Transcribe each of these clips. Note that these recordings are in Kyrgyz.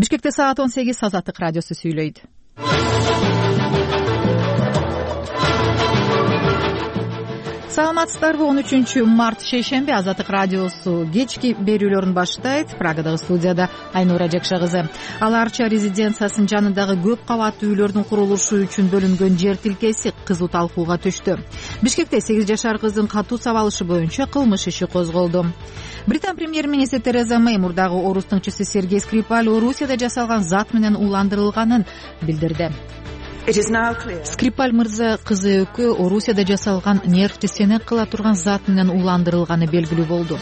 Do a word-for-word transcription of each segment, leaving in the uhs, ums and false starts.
Бишкекте саат он сегиз. Азаттык радиосу сүйлөйт. Саламатсыздарбы? он үчүнчү март шейшемби. Азаттык радиосу кечки берүүлөрүн баштайт. Прагадагы студияда Айнура Жекша кызы. Ал Арча резиденциясынын жанындагы көп кабаттуу үйлөрдүн курулушу үчүн бөлүнгөн жер тилкеси кызуу талкууга түштү. Бишкекте сегиз жашар кыздын катуу сабалышы боюнча кылмыш иши козголду. Британ премьер-министри Тереза Мэй мурдагы орус тыңчысы Сергей Скрипаль Орусияда жасалган зат менен уландырылганын билдирди. Скрипаль мырза кызы экөө Орусияда жасалган нервти сенек кыла турган зат менен уландырылганы белгилүү болду.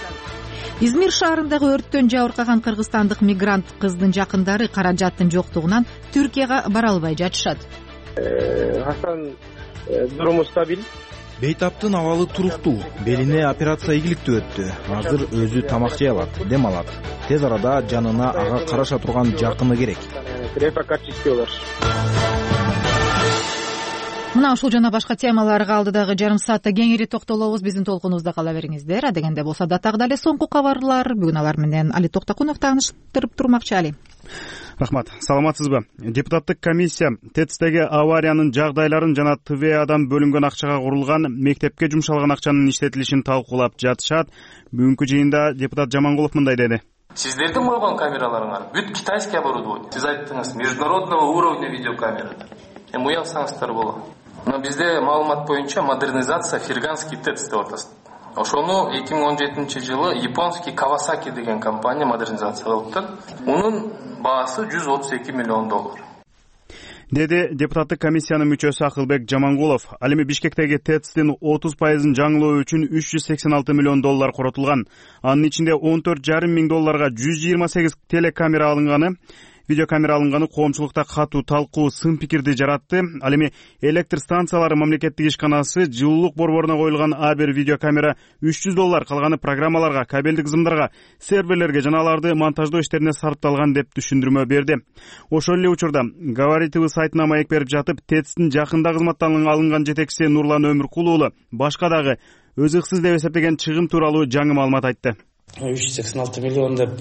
Измир шаарындагы өрттөн жабыркаган кыргызстандык мигрант кыздын жакындары каражаттын жоктугунан Түркияга бара албай жатышат. Хасан дуруму стабиль. Бейтаптын абалы туруктуу, белине операция ийгиликтүү өттү. Азыр өзү тамак жей алат, дем алат. Тез арада жанына ага караша турган жакыны керек. Мына ушул жана башка темаларга алдыдагы жарым саатта кеңири токтолобуз. Биздин толкунубузда кала бериңиздер. Адегенде болсо датагдуу эле соңку кабарлар. Бүгүн алар менен Али Токтокунов тааныштырып турмакчы. Али. Рахмат. Саламатсызбы? Депутаттык комиссия ТЭЦтеги авариянын жагдайларын жана ТВАдан бөлүнгөн акчага курулган мектепке жумшалган акчанын иштетилишин талкуулап жатышат. Бүгүнкү жыйында депутат Жамангулов мындай деди. Сиздердин койгон камераларыңар бүт китайский оборудование. Сиз айттыңыз, международного уровня видеокамера. Эми уялсаңыздар болот. Мына бизде маалымат боюнча модернизация Ферганский ТЭЦ деп атат. Ошону эки миң он жетинчи жылы японский Kawasaki деген компания модернизация кылыптыр. Унун баасы жүз отуз эки миллион доллар. Деди депутаттык комиссиянын мүчөсү Акылбек Жамангулов. Ал эми Бишкектеги ТЭЦтин отуз пайызын жаңылоо үчүн үч жүз сексен алты миллион доллар коротулган. Анын ичинде он төрт жарым миң долларга жүз жыйырма сегиз телекамера алынганы, видеокамера алынганы коомчулукта катуу талкуу, сын пикирди жаратты. Ал эми электр станциялары мамлекеттик ишканасы жылуулук борборуна коюлган а бир видеокамера үч жүз доллар, калганы программаларга, кабелдик кызымдарга, серверлерге жана аларды монтаждоо иштерине сарпталган деп түшүндүрмө берди. Ошол эле учурда Говоритв сайтына маек берип жатып, ТЭЦтин жакында кызматтан алынган жетекчиси Нурлан Өмүркул уулу башка дагы өзүксүз деп эсептеген чыгым тууралуу жаңы маалымат айтты. үч жүз сексен алты миллион деп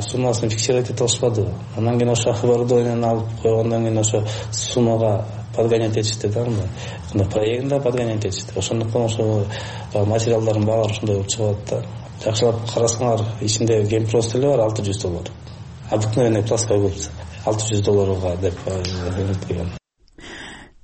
суммасын фиксировать ете алышпады. Андан кийин ошо оборудованияны алып койгондон кийин ошо суммага подгонять этишти да, мына проектинде подгонять этишти. Ошондуктан ошо материалдардын баары ушундай болуп чыгат да. Жакшылап карасаңар, ичинде гемпрост эле бар алты жүз доллар. Обыкновенный плоская губка алты жүз долларга деп айтылган.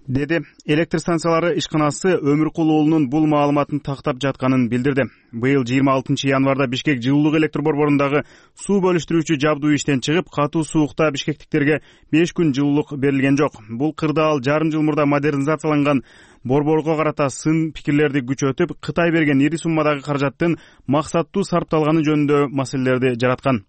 Деди. Электр станциялары ишканасы Өмүркул уулунун бул маалыматын тактап жатканын билдирди. Быйыл жыйырма алтынчы январда Бишкек жылуулук электр борборундагы суу бөлүштүрүүчү жабдуу иштен чыгып, катуу суукта бишкектиктерге беш күн жылуулук берилген жок. Бул кырдаал жарым жыл мурда модернизацияланган борборго карата сын пикирлерди күчөтүп, Кытай берген ири суммадагы каражаттын максаттуу сарпталганы жөнүндө маселелерди жараткан.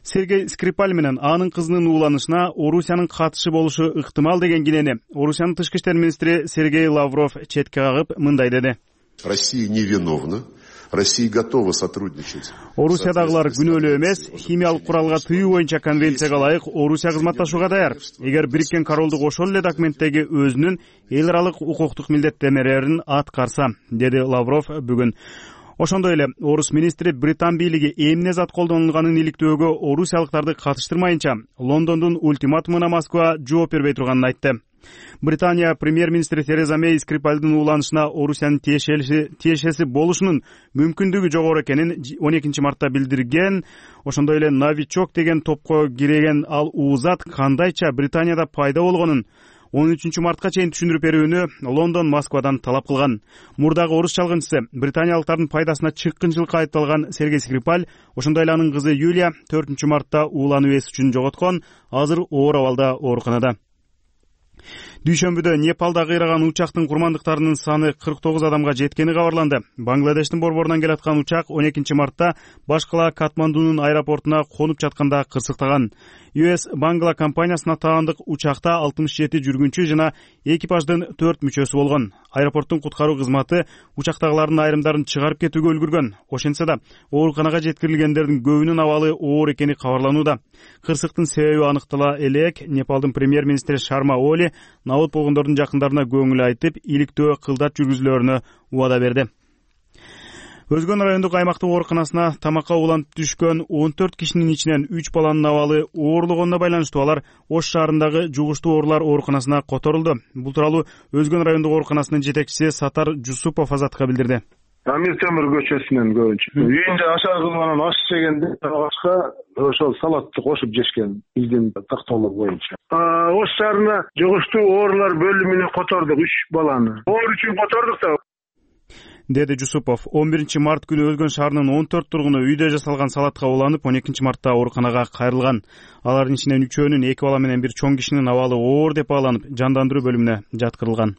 Сергей Скрипаль менен анын кызынын ууланышына Орусиянын катышы болушу ыктымал деген кинени Орусиянын тышкы иштер министри Сергей Лавров четке кагып мындай деди. Россия невиновна. Россия готова сотрудничать. Орусиядагылар күнөөлүү эмес, химиялык куралга тыюу боюнча конвенцияга ылайык Орусия кызматташууга даяр. Эгер Бириккен Королдук ошол эле документтеги өзүнүн эл аралык укуктук милдеттенмелерин аткарса, деди Лавров бүгүн. Ошондой эле орус министри Британ бийлиги эмне зат колдонулганын иликтөөгө орусиялыктарды катыштырмайынча Лондондун ультиматумуна Москва жооп бербей турганын айтты. Британия премьер-министри Тереза Мэй Скрипальдын ууланышына Орусиянын тиешеси болушунун мүмкүндүгү жогору экенин он экинчи мартта билдирген. Ошондой эле новичок деген топко кирген ал уузат кандайча Британияда пайда болгонун он үчүнчү мартка чейин түшүндүрүп берүүнү Лондон Москвадан талап кылган. Мурдагы орус чалгынчысы британиялыктардын пайдасына чыккынчылыкка айыпталган Сергей Скрипаль, ошондой эле анын кызы Юлия төртүнчү мартта уулануу эс үчүн жоготкон, азыр оор абалда ооруканада. Дүйшөмбүдө Непалда кыйраган учактын курмандыктарынын саны кырк тогуз адамга жеткени кабарланды. Бангладештин борборунан келаткан учак он экинчи мартта баш кала Катмандунун аэропортуна конуп жатканда кырсыктаган. ю эс Bangla компаниясына таандык учакта алтымыш жети жүргүнчү жана экипаждын төрт мүчөсү болгон. Аэропорттун куткаруу кызматы учактагылардын айрымдарын чыгарып кетүүгө үлгүргөн. Ошентсе да ооруканага жеткирилгендердин көбүнүн абалы оор экени кабарланууда. Кырсыктын себеби аныктала элек. Непалдын премьер-министри Шарма Оли набыт болгондордун жакындарына көңүл айтып, иликтөө кылдат жүргүзүүлөрүнө убада берди. Өзгөн райондук аймактык ооруканасына тамакка уланып түшкөн он төрт кишинин ичинен үч баланын абалы оорлогонуна байланыштуу алар Ош шаарындагы жугуштуу оорулар ооруканасына которулду. Бул тууралуу Өзгөн райондук ооруканасынын жетекчиси Сатар Жусупов Азаттыкка билдирди. Амир Темир көчөсүнөн көбүнчө. Үйүндө ашар кылып аш жегенде ашка ошол салатты кошуп жешкен биздин тактоолор боюнча. Ош шаарына жугуштуу оорулар бөлүмүнө котордук үч баланы. Оор үчүн котордук да, деди Жусупов. он биринчи март күнү Өзгөн шаарынын он төрт тургуну үйдө жасалган салатка уланып, он экинчи мартта ооруканага кайрылган. Алардын ичинен үчөөнүн эки бала менен бир чоң кишинин абалы оор деп бааланып, жандандыруу бөлүмүнө жаткырылган.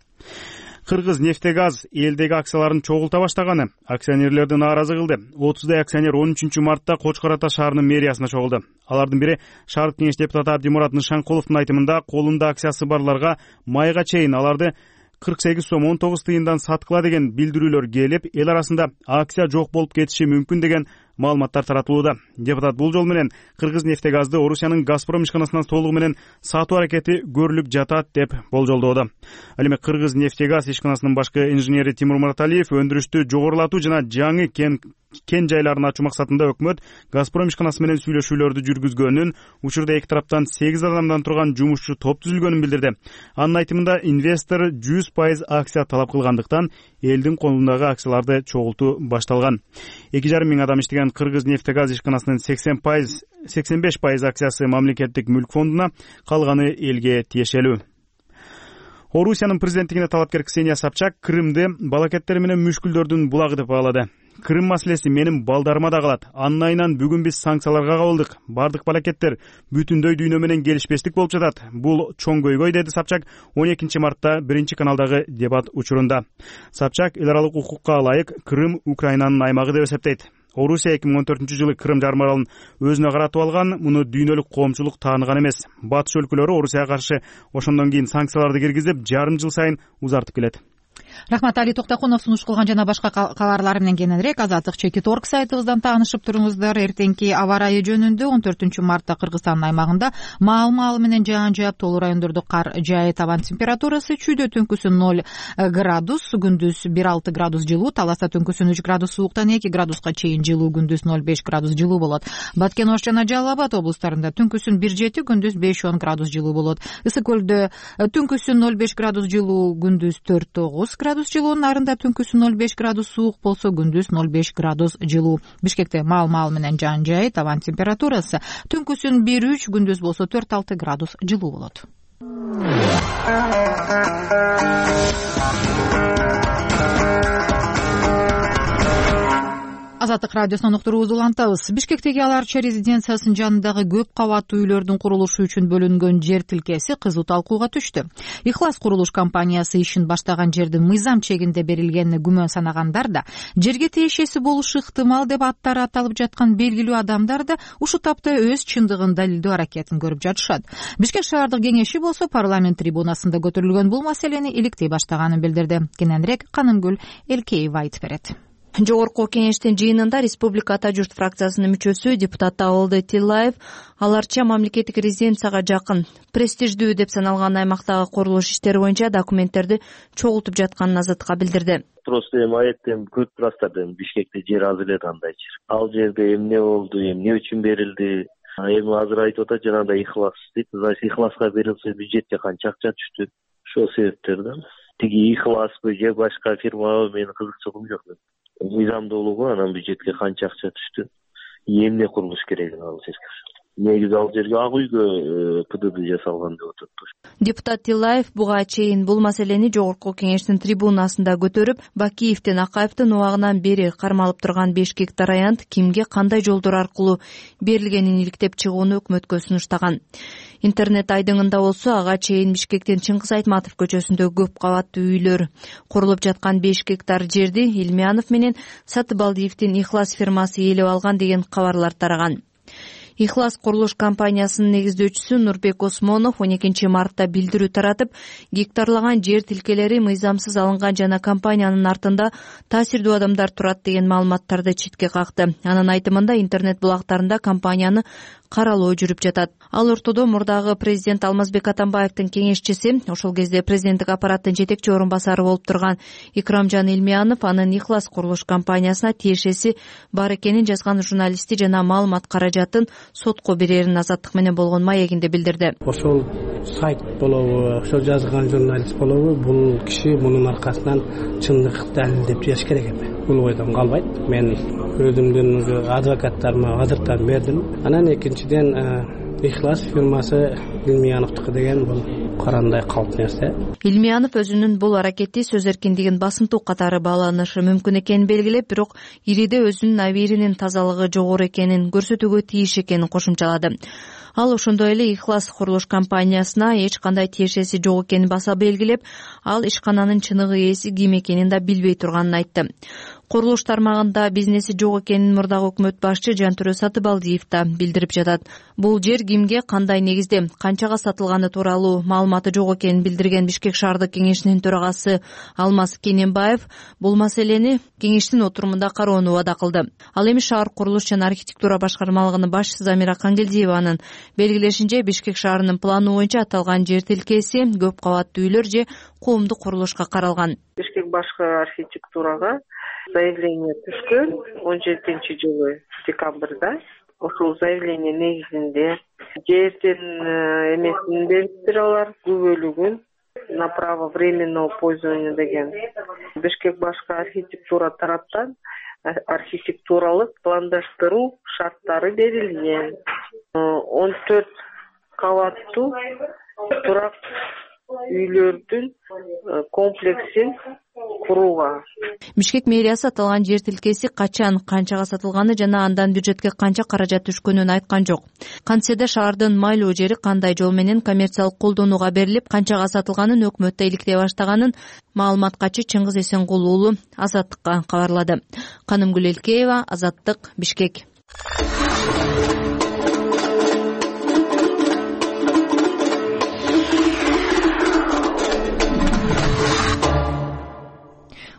Кыргыз нефтегаз элдеги акцияларын чогулта баштаганы акционерлерди нааразы кылды. отуздай акционер он үчүнчү мартта Кочкор Ата шаарынын мэриясына чогулду. Алардын бири шаардык кеңеш депутаты Абдимурат Нышанкуловдун айтымында, колунда акциясы барларга майга чейин аларды кырк сегиз сом он тогуз тыйындан саткыла деген билдирүүлөр келип, эл арасында акция жок болуп кетиши мүмкүн деген маалыматтар таратылууда. Депутат бул жол менен Кыргыз нефтегазды Орусиянын Газпром ишканасынан толугу менен сатуу аракети көрүлүп жатат деп болжолдоодо. Ал эми Кыргыз нефтегаз ишканасынын башкы инженери Тимур Мураталиев өндүрүштү жогорулатуу жана жаңы кен кен жайларын ачуу максатында өкмөт Газпром ишканасы менен сүйлөшүүлөрдү жүргүзгөнүн, учурда эки тараптан сегиз адамдан турган жумушчу топ түзүлгөнүн билдирди. Анын айтымында инвестор жүз пайыз акция талап кылгандыктан элдин колундагы акцияларды чогултуу башталган. эки жарым миң адам иштеген Кыргыз нефтегаз ишканасынын сексен пайыз сексен беш пайыз акциясы мамлекеттик мүлк фондуна, калганы элге тиешелүү. Орусиянын президенттигине талапкер Ксения Собчак Крымды балакеттер менен мүшкүлдөрдүн булагы деп баалады. Крым маселеси менин балдарыма да калат. Анын айынан бүгүн биз санкцияларга кабылдык. Бардык балакеттер бүтүндөй дүйнө менен келишпестик болуп жатат. Бул чоң көйгөй, деди Собчак он экинчи мартта биринчи каналдагы дебат учурунда. Собчак эл аралык укукка ылайык Крым Украинанын аймагы деп эсептейт. Орусия эки миң он төртүнчү жылы Крым жарым аралын өзүнө каратып алган, муну дүйнөлүк коомчулук тааныган эмес. Батыш өлкөлөрү Орусияга каршы ошондон кийин санкцияларды киргизип, жарым жыл сайын узартып келет. Рахмат, Али Токтокунов сунуш кылган жана башка кабарлар менен кененирээк Азаттык чекит орг сайтыбыздан таанышып туруңуздар. Эртеңки аба ырайы жөнүндө он төртүнчү мартта Кыргызстандын аймагында маал-маал менен жаан жаап, тоолуу райондордо кар жаайт. Табан температурасы чүйдө түнкүсүн ноль градус, күндүз бир алты градус жылуу, Таласта түнкүсүн үч градус сууктан эки градуска чейин жылуу, күндүз ноль беш градус жылуу болот. Баткен, Ош жана Жалал Абад облустарында түнкүсүн бир жети, күндүз беш он градус жылуу болот. Ысык көлдө түнкүсүн ноль беш градус жылуу, күндүз төрт тогуз градус жылуу, Нарында түнкүсүн ноль беш градус суук болсо, күндүз ноль беш градус жылуу. Бишкекте маал-маал менен жаан жаай, табан температурасы түнкүсүн бир үч, күндүз болсо төрт алты градус жылуу болот. Азаттык радиосунан уктуруубузду улантабыз. Бишкектеги Ал Арча резиденциясынын жанындагы көп кабаттуу үйлөрдүн курулушу үчүн бөлүнгөн жер тилкеси кызуу талкууга түштү. Ихлас курулуш компаниясы ишин баштаган жерди мыйзам чегинде берилгенине күмөн санагандар да, жерге тиешеси болушу ыктымал деп аттары аталып жаткан белгилүү адамдар да ушул тапта өз чындыгын далилдөө аракетин көрүп жатышат. Бишкек шаардык кеңеши болсо парламент трибунасында көтөрүлгөн бул маселени иликтей баштаганын билдирди. Кененирээк Канымгүл Элкеева айтып берет. Жогорку кеңештин жыйынында Республика Ата журт фракциясынын мүчөсү депутат Абылды Тилаев Ал Арча мамлекеттик резиденцияга жакын, престиждүү деп саналган аймактагы курулуш иштери боюнча документтерди чогултуп жатканын Азаттыкка билдирди. Просто эми аятем көп турастарда Бишкекте жер аз эле андай жер. Ал жерде эмне болду, эмне үчүн берилди? Эми азыр айтып атат, жанагындай ихлас дейт. Значит, ихласка берилсе бюджетке канча акча түштү? Ошол себептерден. Тиги ихласпы же башка фирмабы, менин кызыкчылыгым жок. Мыйзамдуулугу, анан бюджетке канча акча түштү, эмне курулуш керек ал жерге. Негизи ал жерге ак үйгө ПДД жасалган деп атат. Депутат Тилаев буга чейин бул маселени жогорку кеңештин трибунасында көтөрүп, Бакиевдин Акаевдин убагынан бери кармалып турган беш гектар аянт кимге кандай жолдор аркылуу берилгенин иликтеп чыгууну өкмөткө сунуштаган. Интернет айдыңында болсо ага чейин Бишкектин Чыңгыз Айтматов көчөсүндө көп кабаттуу үйлөр курулуп жаткан беш гектар жерди Илмиянов менен Сатыбалдиевдин Ихлас фирмасы ээлеп алган деген кабарлар тараган. Ихлас курулуш компаниясынын негиздөөчүсү Нурбек Осмонов он экинчи мартта билдирүү таратып, гектарлаган жер тилкелери мыйзамсыз алынган жана компаниянын артында таасирдүү адамдар турат деген маалыматтарды четке какты. Анын айтымында интернет булактарында компанияны каралуу жүрүп жатат. Ал ортодо мурдагы президент Алмазбек Атамбаевдин кеңешчиси, ошол кезде президенттик аппараттын жетекчи орун басары болуп турган Икрамжан Илмиянов анын Ихлас курулуш компаниясына тиешеси бар экенин жазган журналисти жана маалымат каражатын сотко берерин Азаттык менен болгон маегинде билдирди. Ошол сайт болобу, ошол жазган журналист болобу, бул киши мунун аркасынан чындыкты далилдеп жаш керек эми. Бул ойдон калбайт. Мен өзүмдүн адвокаттарыма азыртан бердим. Анан экинчиден Ихлас фирмасы Илмияновдуку деген бул карандай калп нерсе. Илмиянов өзүнүн бул аракети сөз эркиндигин басымтуу катары бааланышы мүмкүн экенин белгилеп, бирок ириде өзүнүн абийиринин тазалыгы жогору экенин көрсөтүүгө тийиш экенин кошумчалады. Ал ошондой эле Ихлас курулуш компаниясына эч кандай тиешеси жок экенин баса белгилеп, ал ишкананын чыныгы ээси ким экенин да билбей турганын айтты. Курулуш тармагында бизнеси жок экенин мурдагы өкмөт башчы Жантүрө Сатыбалдиев да билдирип жатат. Бул жер кимге, кандай негизде, канчага сатылганы тууралуу маалыматы жок экенин билдирген Бишкек шаардык кеңешинин төрагасы Алмаз Кененбаев бул маселени кеңештин отурумунда кароону убада кылды. Ал эми шаар курулуш жана архитектура башкармалыгынын башчысы Замира Кангелдиеванын белгилешинче, Бишкек шаарынын планы боюнча аталган жер тилкеси көп кабаттуу үйлөр же коомдук курулушка каралган. Бишкек башкы архитектурага заявление түшкөн он жетинчи жылы декабрда. Ошол заявление негизинде жердин эмесин бериптир алар, күбөлүгүн на право временного пользования деген. Бишкек башкы архитектура тараптан архитектуралык пландаштыруу шарттары берилген. он төрт кабаттуу турак үйлөрдүн комплексин курууга. Бишкек мэриясы аталган жер тилкеси качан, канчага сатылганы жана андан бюджетке канча каражат түшкөнүн айткан жок. Кантсе да шаардын майлуу жери кандай жол менен коммерциялык колдонууга берилип, канчага сатылганын өкмөттө иликтей баштаганын маалымат качы Чыңгыз Эсенгул уулу Азаттыкка кабарлады. Канымгүл Элкеева, Азаттык, Бишкек.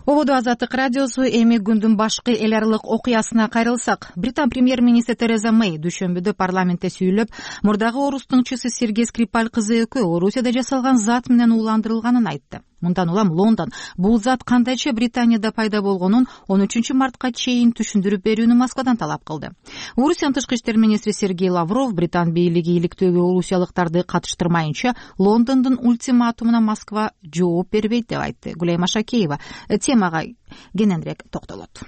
Ободо Азаттык радиосу. Эми күндүн башкы эл аралык окуясына кайрылсак, Британ премьер-министри Тереза Мэй дүйшөмбүдө парламентте сүйлөп, мурдагы орус тыңчысы Сергей Скрипаль кызы экөө Орусияда жасалган зат менен ууландырылганын айтты. Мындан улам Лондон бул зат кандайча Британияда пайда болгонун он үчүнчү мартка чейин түшүндүрүп берүүнү Москвадан талап кылды. Орусиянын тышкы иштер министри Сергей Лавров Британ бийлиги иликтөөгө орусиялыктарды катыштырмайынча Лондондун ультиматумуна Москва жооп бербейт деп айтты. Гулейма Шакеева темага кененирээк токтолот.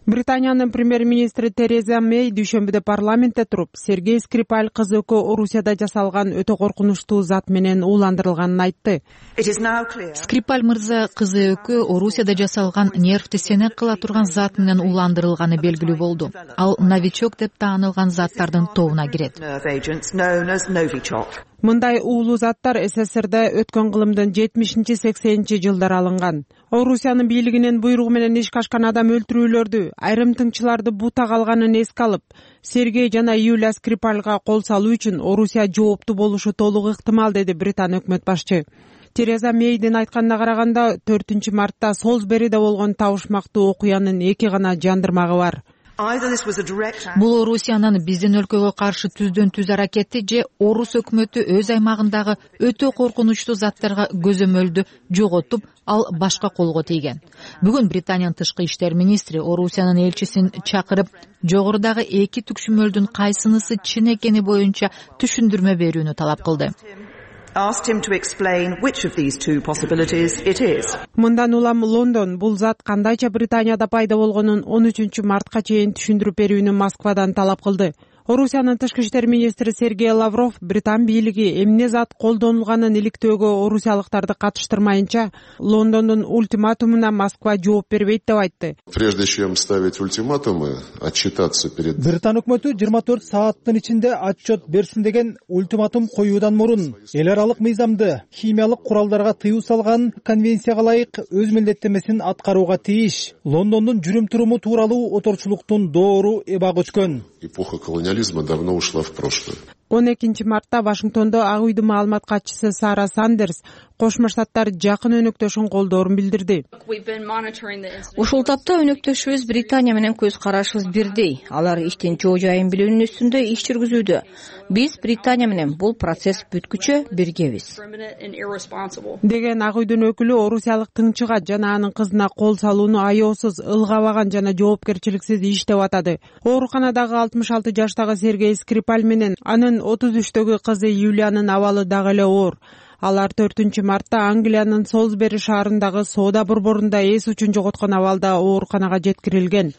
Британиянын премьер-министри Тереза Мэй дүйшөмбүдө парламентте туруп, Сергей Скрипаль кызы экөө Орусияда жасалган өтө коркунучтуу зат менен ууландырылганын айтты. Скрипаль мырза кызы экөө Орусияда жасалган нервти сенек кыла турган зат менен ууландырылганы белгилүү болду. Ал новичок деп таанылган заттардын тобуна кирет. Мындай уулуу заттар СССРда өткөн кылымдын жетимишинчи сексенинчи жылдары алынган. Орусиянын бийлигинин буйругу менен ишке ашкан адам өлтүрүүлөрдү, айрым тыңчыларды бутак алганын эске алып, Сергей жана Юлия Скрипальга кол салуу үчүн Орусия жооптуу болушу толук ыктымал, деди Британ өкмөт башчы. Тереза Мейдин айтканына караганда, төртүнчү мартта Солсбериде болгон табышмактуу окуянын эки гана жандырмагы бар. Бул Орусиянын биздин өлкөгө каршы түздөн түз аракети же орус өкмөтү өз аймагындагы өтө коркунучтуу заттарга көзөмөлдү жоготуп, ал башка колго тийген. Бүгүн Британиянын тышкы иштер министри Орусиянын элчисин чакырып, жогорудагы эки түкшүмөлдүн кайсынысы чын экени боюнча түшүндүрмө берүүнү талап кылды. Мындан улам Лондон бул зат кандайча Британияда пайда болгонун он үчүнчү мартка чейин түшүндүрүп берүүнү Москвадан талап кылды. Орусиянын тышкы иштер министри Сергей Лавров Британ бийлиги эмне зат колдонулганын иликтөөгө орусиялыктарды катыштырмайынча Лондондун ультиматумуна Москва жооп бербейт деп айтты. Прежде чем ставить ультиматумы, отчитаться перед... Британ өкмөтү жыйырма төрт сааттын ичинде отчет берсин деген ультиматум коюудан мурун эл аралык мыйзамды химиялык куралдарга тыюу салган конвенцияга ылайык өз милдеттенмесин аткарууга тийиш. Лондондун жүрүм-туруму тууралуу отурчулуктун доору эба көчкөн. Эпоха колониализма давно ушла в прошлое. он экинчи мартта Вашингтондо Ак үйдүн маалымат катчысы Сара Сандерс Кошмо Штаттар жакын өнөктөшүн колдоорун билдирди. Ушул тапта өнөктөшүбүз Британия менен көз карашыбыз бирдей. Алар иштин жоо жайын билүүнүн үстүндө иш жүргүзүүдө. Биз Британия менен бул процесс бүткүчө биргебиз деген Ак үйдүн өкүлү орусиялык тыңчыга жана анын кызына кол салууну аеосуз, ылгабаган жана жоопкерчиликсиз иш деп атады. Ооруканадагы алтымыш алты жаштагы Сергей Скрипаль менен анын отуз үчтөгү кызы Юлиянын абалы дагы эле оор. Алар төртүнчү мартта Англиянын Солсбери шаарындагы соода борборунда эс учун жоготкон абалда ооруканага жеткирилген.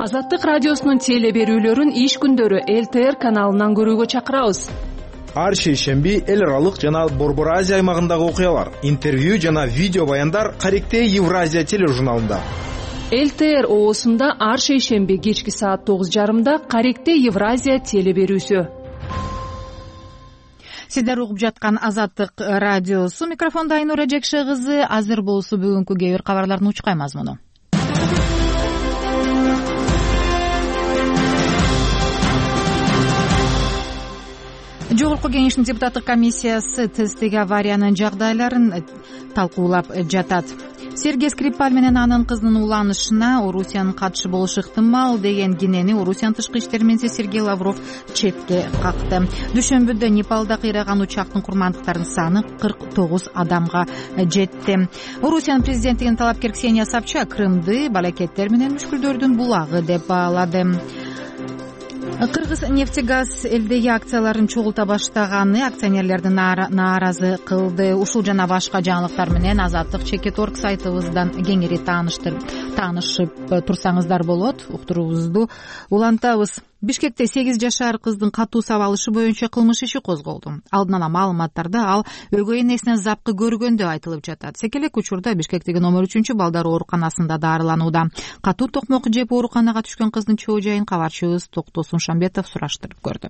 Азаттык радиосунун теле берүүлөрүн иш күндөрү Эл Т Р каналынан көрүүгө чакырабыз. Ар шейшемби эл аралык жана Борбор Азия аймагындагы окуялар, интервью жана видео баяндар Каректе Евразия тележурналында. Эл Т Р оосунда ар шейшемби кечки саат тогуз жарымда Каректе Евразия теле берүүсү. Сиздер угуп жаткан Азаттык радиосу, микрофондо Айнура Жекше кызы. Азыр болсо бүгүнкү кээ бир кабарлардын учкай мазмуну. Жогорку кеңештин депутаттык комиссиясы тесттеги авариянын жагдайларын талкуулап жатат. Сергей Скрипаль менен анын кызынын уланышына Орусиянын катышы болушу ыктымал деген кенени Орусиянын тышкы иштер министри Сергей Лавров четке какты. Дүйшөмбүдө Непалда кыйраган учактын курмандыктарынын саны кырк тогуз адамга жетти. Орусиянын президенттигинин талапкер Ксения Собчак Крымды балакеттер менен мүшкүлдөрдүн булагы деп баалады. Кыргыз нефтегаз элдеги акцияларын чогулта баштаганы акционерлердин нааразы кылды. Ушул жана башка жаңылыктар менен Азаттык Чекит орг сайтыбыздан кеңири таанышып турсаңыздар болот. Уктуруубузду улантабыз. Бишкекте сегиз жашар кыздын катуу сабалышы боюнча кылмыш иши козголду. Алдын ала маалыматтарда ал өгөй энесинен запкы көргөн деп айтылып жатат. Секелек учурда Бишкектеги номер үчүнчү балдар ооруканасында дарыланууда. Катуу токмок жеп ооруканага түшкөн кыздын чоо жайын кабарчыбыз Токтосун Шамбетов сураштырып көрдү.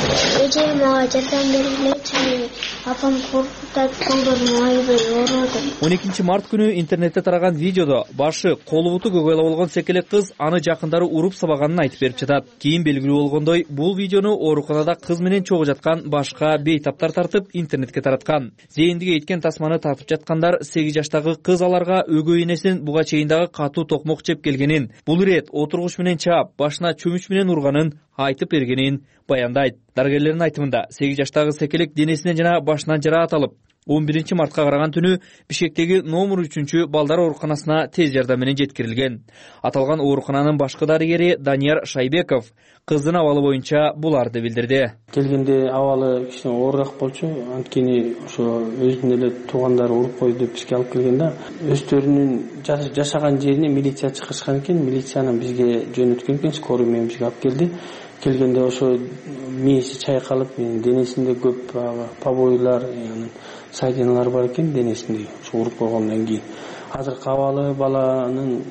Эже мага жардам бергилечи, апам коркутат, колдорум аябай ооруду. он экинчи март күнү интернетте тараган видеодо башы, колу буту көгөйлө болгон секелек кыз аны жакындары уруп сабаганын айтып берип жатат. Кийин белгилүү болгондой, бул видеону ооруканада кыз менен чогуу жаткан башка бейтаптар тартып интернетке тараткан. Зээндиге эткен тасманы тартып жаткандар сегиз жаштагы кыз аларга өгөй энесин буга чейин дагы катуу токмок жеп келгенин, бул ирет отургуч менен чаап, башына чөмүч менен урганын айтып бергенин баяндайт. Дарыгерлердин айтымында сегиз жаштагы секелек денесинен жана башынан жараат алып, он биринчи мартка караган түнү Бишкектеги номер үчүнчү балдар ооруканасына тез жардам менен жеткирилген. Аталган оорукананын башкы дарыгери Данияр Шайбеков кыздын абалы боюнча буларды билдирди. Келгенде абалы кичине оорураак болчу, анткени ошо өзүнүн эле туугандары уруп койду деп бизге алып келген да. Өздөрүнүн жашаган жерине милиция чыгышкан экен, милицияны бизге жөнөткөн экен, скорый менен бизге алып келди. Келгенде ошо мээси чайкалып, денесинде көп побойлар, сайдиналар бар экен денесинде, ошо уруп койгондон кийин. Азыркы абалы баланын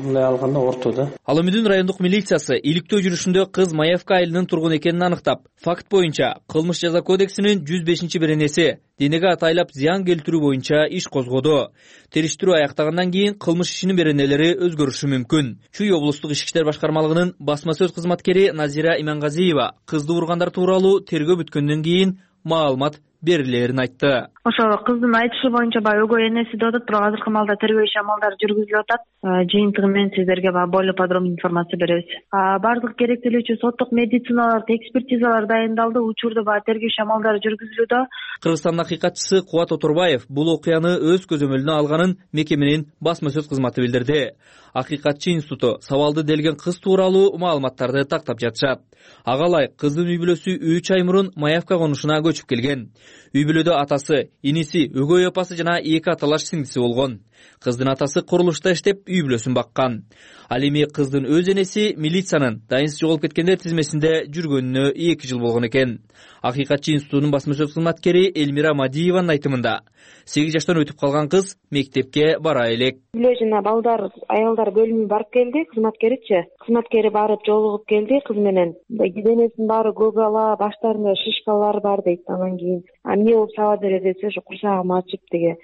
мындай алганда ортодо. Ал Өмүдүн райондук милициясы иликтөө жүрүшүндө кыз Маевка айылынын тургун экенин аныктап, факт боюнча кылмыш жаза кодексинин жүз бешинчи беренеси денеге атайлап зыян келтирүү боюнча иш козгоду. Териштирүү аяктагандан кийин кылмыш ишинин беренелери өзгөрүшү мүмкүн. Чүй облустук ички иштер башкармалыгынын басма сөз кызматкери Назира Имангазиева кызды ургандар тууралуу тергөө бүткөндөн кийин маалымат берилерин айтты. Ошо кыздын айтышы боюнча баягы өгөй энеси деп атат, бирок азыркы маалда тергөө иши амалдары жүргүзүлүп атат. Жыйынтыгы менен сиздерге более подробный информация беребиз. Бардык керектелүүчү соттук медициналык экспертизалар дайындалды, учурда баягы тергөө иши амалдары жүргүзүлүүдө. Кыргызстандын акыйкатчысы Кубат Оторбаев бул окуяны өз көзөмөлүнө алганын мекеменин басма сөз кызматы билдирди. Акыйкатчы институту сабалды делген кыз тууралуу маалыматтарды тактап жатышат. Ага ылайык кыздын үй бүлөсү үч ай мурун Маевка конушуна көчүп келген. Үй бүлөдө атасы, иниси, өгөй апасы жана эки аталаш сиңдиси болгон. Кыздын атасы курулушта иштеп, үй бүлөсүн баккан. Ал эми кыздын өз энеси милициянын дайынсыз жоголуп кеткендер тизмесинде жүргөнүнө эки жыл болгон экен. Акыйкатчы институтунун басма сөз кызматкери Элмира Мадиеванын айтымында сегиз жаштан өтүп калган кыз мектепке бара элек. Бүлө жана балдар, аялдар бөлүмүнө барып келди, кызматкеричи. Кызматкери барып жолугуп келди кыз менен. Денесинин баары көгала, баштарында шишкалар бар дейт. Анан кийин эмне болуп саба бере десе, ошо курсагым ачып деге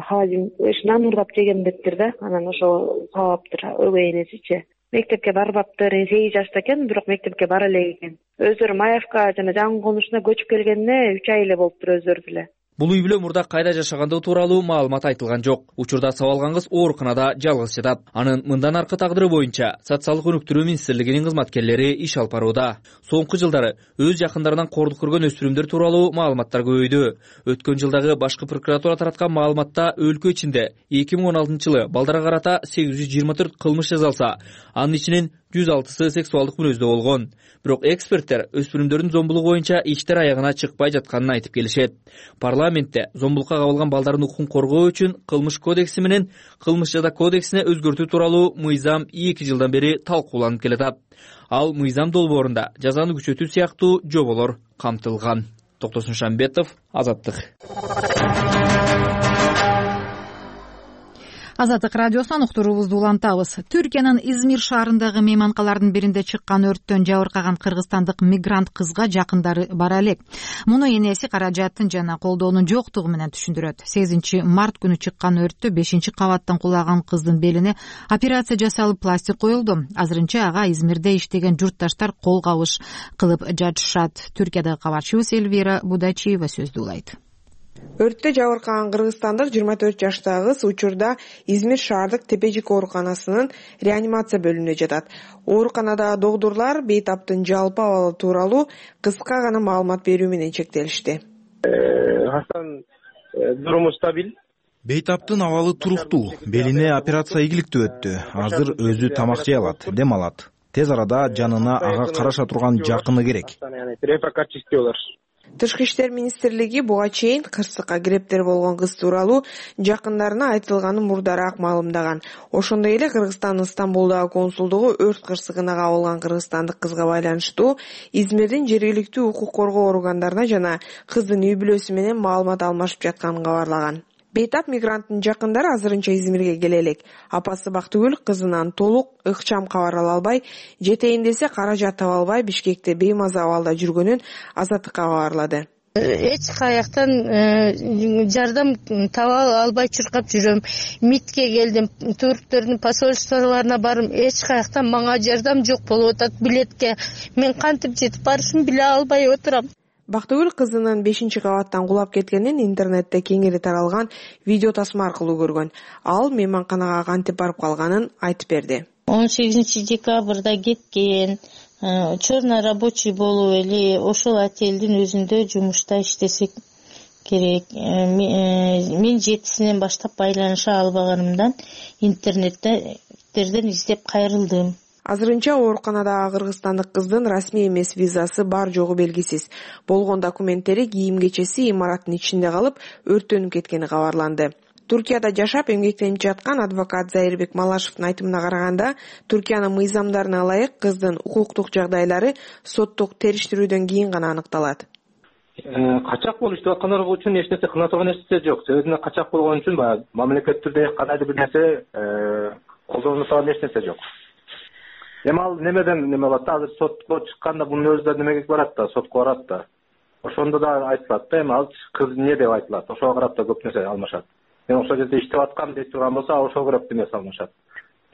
халин нан урдап жеген дептир да. Анан ошо сабаптыр өгөй энесичи. Мектепке барбаптыр, сегиз жашта экен, бирок мектепке бара элек экен. Өздөрү Маевка жана жаңы конушуна көчүп келгенине үч ай эле болуптур өздөрү деле. Бул үй бүлө мурда кайда жашагандыгы тууралуу маалымат айтылган жок. Учурда сабалган кыз ооруканада жалгыз жатат. Анын мындан аркы тагдыры боюнча социалдык өнүктүрүү министрлигинин кызматкерлери иш алып барууда. Соңку жылдары өз жакындарынан кордук көргөн өспүрүмдөр тууралуу маалыматтар көбөйдү. Өткөн жылдагы башкы прокуратура тараткан маалыматта өлкө ичинде эки миң он алтынчы жылы балдарга карата сегиз жүз жыйырма төрт кылмыш жасалса, анын ичинен жүз алтысы сексуалдык мүнөздө болгон. Бирок эксперттер өспүрүмдөрдүн зомбулугу боюнча иштер аягына чыкпай жатканын айтып келишет. Парламентте зомбулукка кабылган балдардын укугун коргоо үчүн кылмыш кодекси менен кылмыш жаза кодексине өзгөртүү тууралуу мыйзам эки жылдан бери талкууланып келатат. Ал мыйзам долбоорунда жазаны күчөтүү сыяктуу жоболор камтылган. Токтосун Шамбетов, Азаттык. Азаттык радиосунан уктуруубузду улантабыз. Түркиянын Измир шаарындагы мейманкалардын биринде чыккан өрттөн жабыркаган кыргызстандык мигрант кызга жакындары бара элек. Муну энеси каражаттын жана колдоонун жоктугу менен түшүндүрөт. сегизинчи март күнү чыккан өрттө бешинчи кабаттан кулаган кыздын белине операция жасалып пластик коюлду. Азырынча ага Измирде иштеген журтташтар кол кабыш кылып жатышат. Түркиядагы кабарчыбыз Эльвира Будачиева сөздү улайт. Өрттө жабыркаган кыргызстандык жыйырма төрт жаштагы кыз учурда Измир шаардык Тепежик ооруканасынын реанимация бөлүмүндө жатат. Ооруканадагы докторлор бейтаптын жалпы абалы тууралуу кыска гана маалымат берүү менен чектелишти. Хасан дуруму стабиль. Бейтаптын абалы туруктуу, белине операция ийгиликтүү өттү. Азыр өзү тамак жей алат, дем алат. Тез арада жанына ага караша турган жакыны керек. Тышкы иштер министрлиги буга чейин кырсыкка грептер болгон кыз тууралуу жакындарына айтылганын мурдараак маалымдаган. Ошондой эле Кыргызстандын Стамбулдагы консулдугу өрт кырсыгына кабылган кыргызстандык кызга байланыштуу Измирдин жергиликтүү укук коргоо органдарына жана кыздын үй бүлөсү менен маалымат алмашып жатканын кабарлаган. Бейтап мигранттын жакындары азырынча Измирге келе элек. Апасы Бактыгүл кызынан толук ыкчам кабар ала албай, жетейин десе каражат таба албай Бишкекте беймаза абалда жүргөнүн Азаттыкка кабарлады. Эч каяктан жардам таба албай чуркап жүрөм. МИДке келдим, турктөрдүн посольстволоруна барым, эч каяктан мага жардам жок болуп атат билетке. Мен кантип жетип барышымды биле албай отурам. Бактыгүл кызынын бешинчи кабаттан кулап кеткенин интернетте кеңири таралган видео тасма аркылуу көргөн. Ал мейманканага кантип барып калганын айтып берди. он сегизинчи декабрда кеткен, черный рабочий болуп эле ошол отелдин өзүндө жумушта иштесек керек. Мен жетисинен баштап байланыша албаганымдан интернеттерден издеп кайрылдым. Азырынча ооруканадагы кыргызстандык кыздын расмий эмес визасы бар жогу белгисиз. Болгон документтери кийим-кечеси имараттын ичинде калып, өрттөнүп кеткени кабарланды. Туркияда жашап эмгектенип жаткан адвокат Зайырбек Малашевдин айтымына караганда, Туркиянын мыйзамдарына ылайык кыздын укуктук жагдайлары соттук териштирүүдөн кийин гана аныкталат. Качак болуп иштеп аткандар үчүн эч нерсе кына турган нерсе жок. Өзүнө качак болгон үчүн баягы мамлекеттирде кандайдыр бир нерсе колдонуп турган эч нерсе жок. Эми ал немеден неме болот да, азыр сотко чыкканда бунун өзү да немеге барат да, сотко барат да. Ошондо да айтылат да, эми ал кыз эмне деп айтылат. Ошого карап да көп нерсе алмашат. Мен ошол жерде иштеп аткам деп турган болсо, ошого көрөп немесе алмашат.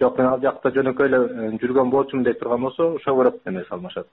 Жок, мен ал жакта жөнөкөй эле жүргөн болчумун деп турган болсо, ошого көрөп немесе алмашат.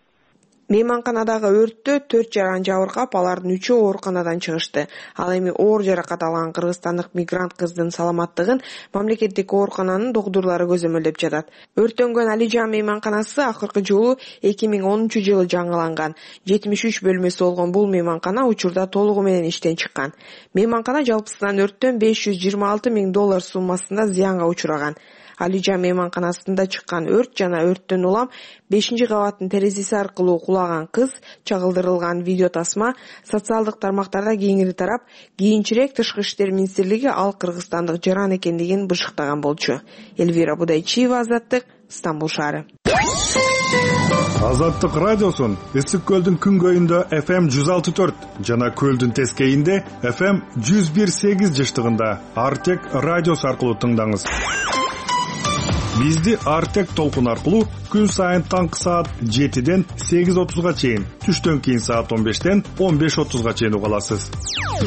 Мейманканадагы өрттө төрт жаран жабыркап, алардын үчөө ооруканадан чыгышты. Ал эми оор жаракат алган кыргызстандык мигрант кыздын саламаттыгын мамлекеттик оорукананын докторлору көзөмөлдөп жатат. Өрттөнгөн Алижан мейманканасы акыркы жолу эки миң онунчу жылы жаңыланган. жетимиш үч бөлмөсү болгон бул мейманкана учурда толугу менен иштен чыккан. Мейманкана жалпысынан өрттөн беш жүз жыйырма алты миң доллар суммасында зыянга учураган. Алижан мейманканасында чыккан өрт жана өрттөн улам бешинчи кабаттын терезеси аркылуу кулаган кыз чагылдырылган видео тасма социалдык тармактарда кеңири тарап, кийинчерээк Тышкы иштер министрлиги ал кыргызстандык жаран экендигин бышыктаган болчу. Эльвира Будайчиева, Азаттык, Стамбул шаары. Азаттык радиосун Ысык көлдүн күнгөйүндө эф эм жүз алты төрт жана көлдүн тескейинде эф эм жүз бир сегиз жыштыгында Артек радиосу аркылуу тыңдаңыз. Бизди Артек толкун аркылуу күн сайын таңкы саат жетиден сегиз отузга чейин, түштөн кийин саат он бештен он беш отузга чейин уга аласыз.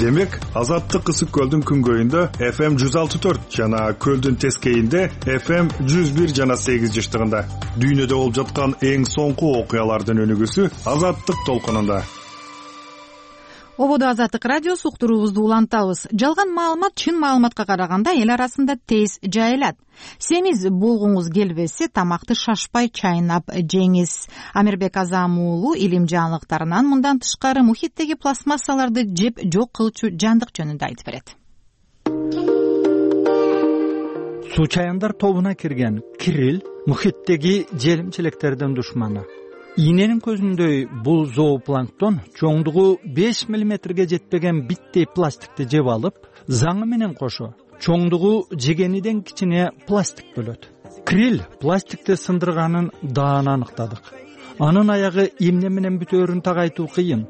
Демек, Азаттык Ысык көлдүн күнгөйүндө эф эм жүз алты төрт жана көлдүн тескейинде эф эм жүз бир жана сегиз жыштыгында. Дүйнөдө болуп жаткан эң соңку окуялардын өнүгүүсү Азаттык толкунунда. ободо Азаттык радиосу, уктуруубузду улантабыз. Жалган маалымат чын маалыматка караганда эл арасында тез жайылат. Семиз болгуңуз келбесе, тамакты шашпай чайнап жеңиз. Амирбек Азам уулу илим жаңылыктарынан мындан тышкары мухиттеги пластмассаларды жеп жок кылчу жандык жөнүндө айтып берет. Суу чаяндар тобуна кирген крил мухиттеги желим-челектердин душманы. Ийненин көзүндөй бул зоопланктон чоңдугу беш миллиметрге жетпеген биттей пластикти жеп алып, заңы менен кошо чоңдугу жегениден кичине пластик бөлөт. Крил пластикти сындырганын даан аныктадык. Анын аягы эмне менен бүтөөрүн так айтуу кыйын.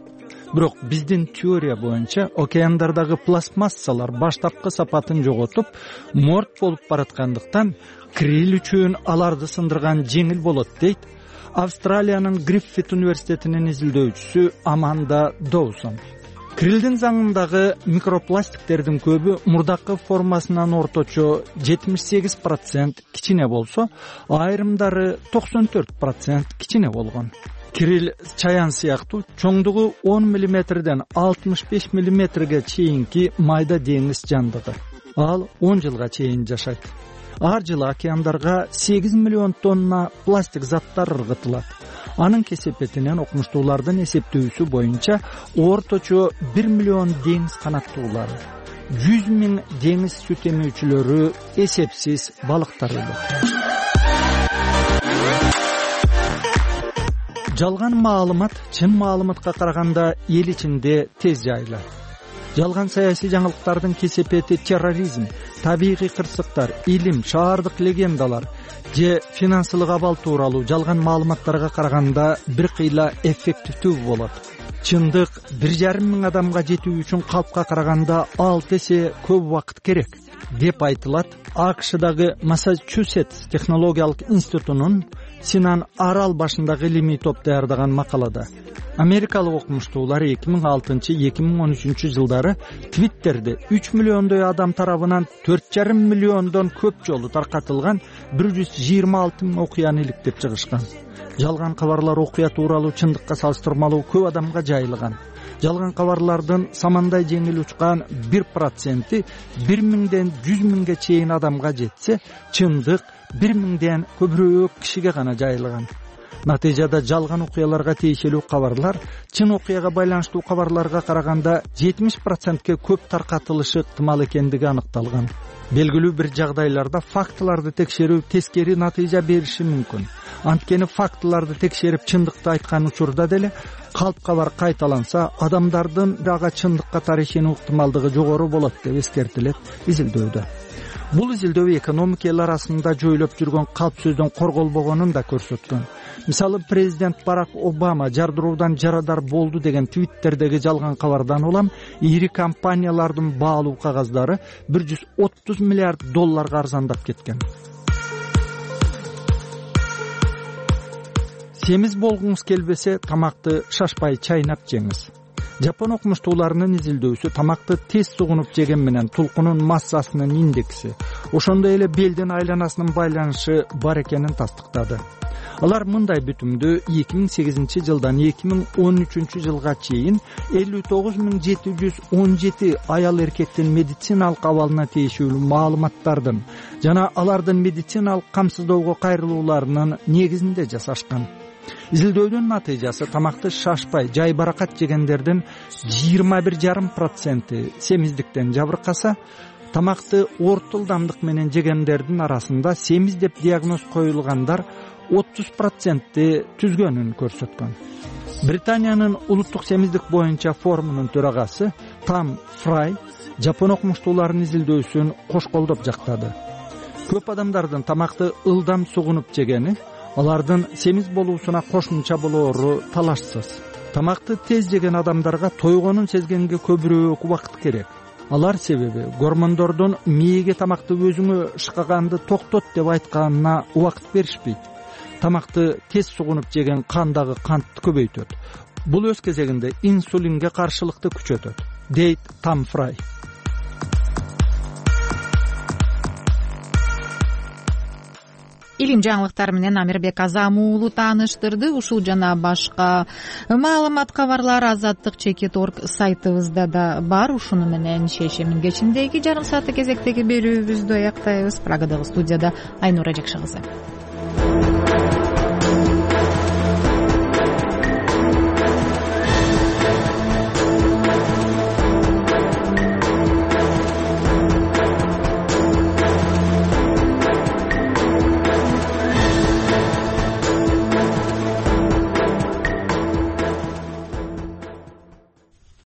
Бирок биздин теория боюнча океандардагы пластмассалар баштапкы сапатын жоготуп, морт болуп бараткандыктан крил үчүн аларды сындырган жеңил болот дейт Австралиянын Гриффит университетинин изилдөөчүсү Аманда Доусон. Крилдин заңындагы микропластиктердин көбү мурдакы формасынан орточо жетимиш сегиз процент кичине болсо, айрымдары токсон төрт процент кичине болгон. Крил чаян сыяктуу чоңдугу он миллиметрден алтымыш беш миллиметрге чейинки майда деңиз жандыгы. Ал он жылга чейин жашайт. Ар жылы океандарга сегиз миллион тонна пластик заттар ыргытылат. Анын кесепетинен окумуштуулардын эсептөөсү боюнча орточо бир миллион деңиз канаттуулары, жүз миң деңиз сүт эмүүчүлөрү, эсепсиз балыктар өлөт. Жалган маалымат чын маалыматка караганда эл ичинде тез жайылат. Жалган саясий жаңылыктардын кесепети терроризм, табигый кырсыктар, илим, шаардык легендалар же финансылык абал тууралуу жалган маалыматтарга караганда бир кыйла эффективдүү болот. Чындык бир жарым миң адамга жетүү үчүн калпка караганда алты эсе көп убакыт керек деп айтылат АКШдагы Массачусетс технологиялык институтунун Синан арал башындагы илимий топ даярдаган макалада. Америкалык окумуштуулар эки миң алтынчы — эки миң он үчүнчү жылдары Твиттерде үч миллиондой адам тарабынан төрт жарым миллиондон көп жолу таркатылган бир жүз жыйырма алты миң окуяны иликтеп чыгышкан. Жалган кабарлар окуя тууралуу чындыкка салыштырмалуу көп адамга жайылган. Жалган кабарлардын самандай жеңил учкан бир проценти бир миңден жүз миңге чейин адамга жетсе, чындык бир миңден көбүрөөк кишиге гана жайылган. Натыйжада жалган окуяларга тиешелүү кабарлар чын окуяга байланыштуу кабарларга караганда жетимиш процентке көп таркатылышы ыктымал экендиги аныкталган. Белгилүү бир жагдайларда фактыларды текшерүү тескери натыйжа бериши мүмкүн. Анткени фактыларды текшерип чындыкты айткан учурда деле калп кабар кайталанса, адамдардын ага чындыкка тарышынуу ыктымалдыгы жогору болот деп эскертилет изилдөөдө. Бул изилдөө экономика эл арасында жойлоп жүргөн калп сөздөн корголбогонун да көрсөткөн. Мисалы, президент Барак Обама жардыруудан жарадар болду деген Твиттердеги жалган кабардан улам ири компаниялардын баалуу кагаздары бир жүз отуз миллиард долларга арзандап кеткен. Семиз болгуңуз келбесе, тамакты шашпай чайнап жеңиз. Жапон окумуштууларынын изилдөөсү тамакты тез сугунуп жеген менен тулкунун массасынын индекси, ошондой эле белдин айланасынын байланышы бар экенин тастыктады. Алар мындай бүтүмдү эки миң сегизинчи жылдан эки миң он үчүнчү жылга чейин элүү тогуз миң жети жүз он жети аял эркектин медициналык абалына тиешелүү маалыматтардын жана алардын медициналык камсыздоого кайрылууларынын негизинде жасашкан. Изилдөөдүн натыйжасы тамакты шашпай, жай баракат жегендердин жыйырма бир жарым проценти семиздиктен жабыркаса, тамакты орто ылдамдык менен жегендердин арасында семиз деп диагноз коюлгандар отуз процентти түзгөнүн көрсөткөн. Британиянын улуттук семиздик боюнча форумунун төрагасы Там Фрай жапон окумуштууларынын изилдөөсүн кош колдоп жактады. Көп адамдардын тамакты ылдам сугунуп жегени алардын семиз болуусуна кошумча болоору талашсыз. Тамакты тез жеген адамдарга тойгонун сезгенге көбүрөөк убакыт керек. Алар себеби гормондордун мээге тамакты өзүңө шыкаганды токтот деп айтканына убакыт беришпейт. Тамакты тез сугунуп жеген кандагы кантты көбөйтөт. Бул өз кезегинде инсулинге каршылыкты күчөтөт, дейт Там Фрай. илим жаңылыктары менен Амирбек Азам уулу тааныштырды. Ушул жана башка маалымат кабарлар Азаттык чекит орг сайтыбызда да бар. Ушуну менен шейшембин кечиндеги жарым сааттык кезектеги берүүбүздү аяктайбыз. Прагадагы студияда Айнура Жакшы кызы.